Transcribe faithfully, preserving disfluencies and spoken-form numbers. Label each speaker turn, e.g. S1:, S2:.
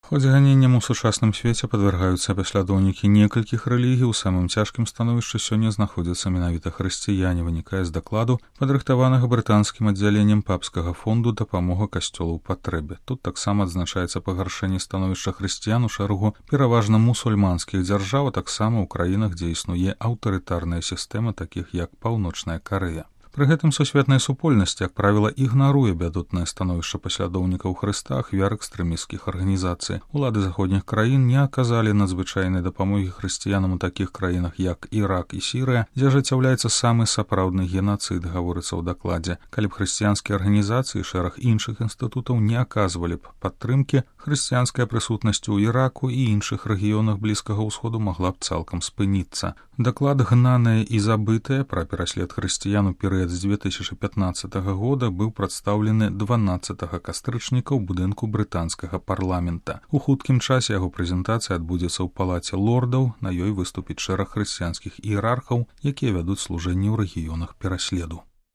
S1: Хоць ганенням у сучасным свеце падвяргаюцца паслядоўнікі некалькіх рэлігій, у самым цяжкім становішчы сёння знаходзяцца менавіта хрысціяне, вынікае з дакладу, падрыхтаванага брытанскім аддзяленнем папскага фонду дапамога касцёлу ў патрэбе. Тут таксама адзначаецца пагаршэнне становішча хрысціян у шэрагу пераважна мусульманскіх дзяржаў, а таксама ў краінах, дзе існуе аўтарытарная сістэма, такіх як Паўночная Карэя. Пры гэтым сусветная супольнасць, як правіла, ігнаруе бядотнае становішча паслядоўнікаў Хрыста, ахвяр экстрэмісцкіх арганізацый. Улады заходніх краін не аказалі надзвычайнай дапамогі хрысціянам у такіх краінах, як Ірак і Сірыя, дзе ажыццяўляецца самы сапраўдны генацыд, гаворыцца ў дакладзе. Калі б хрысціянскія арганізацыі і шэраг іншых інстытутаў не аказвалі б падтрымкі, хрысціянская прысутнасць у Іраку і іншых рэгіёнах Блізкага ўсходу магла б цалкам спыніцца. Даклад «Гнанае і забытае» пра пераслед хрысціян у перыяд з дзве тысячы пятнаццатага года быў прадстаўлены дванаццатага кастрычніка ў будынку брытанскага парламента. У хуткім часе яго прэзентацыя адбудзецца ў палаце лордаў, на ёй выступіць шэраг хрысціянскіх іерархаў, якія вядуць служэнне ў рэгіёнах пераследу.